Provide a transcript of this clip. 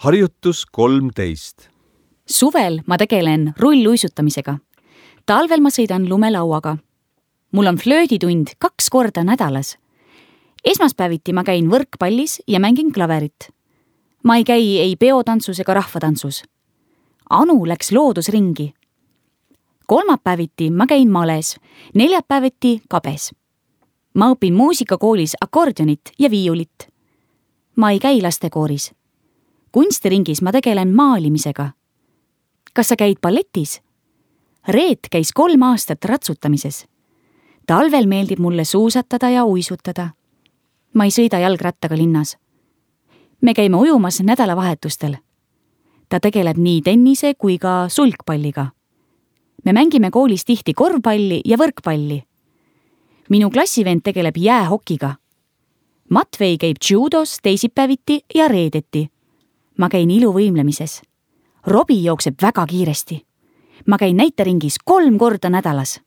Harjutus 13. Suvel ma tegelen rulluisutamisega. Talvel ma sõidan lumelauaga. Mul on flööditund 2 korda nädalas. Esmaspäeviti ma käin võrkpallis ja mängin klaverit. Ma ei käi ei peotantsus ega rahvatantsus. Anu läks loodusringi. Kolmapäeviti ma käin males, neljapäeviti kabes. Ma õpin muusikakoolis akordionit ja viiulit. Ma ei käi lastekooris. Kunstiringis ma tegelen maalimisega. Kas sa käid balletis? Reet käis 3 aastat ratsutamises. Talvel meeldib mulle suusatada ja uisutada. Ma ei sõida jalgrattaga linnas. Me käime ujumas nädalavahetustel. Ta tegeleb nii tennise kui ka sulgpalliga. Me mängime koolis tihti korvpalli ja võrkpalli. Minu klassivend tegeleb jäähokiga. Matvei käib judos teisipäeviti ja reedeti. Ma käin iluvõimlemises. Robi jookseb väga kiiresti. Ma käin näiteringis 3 korda nädalas.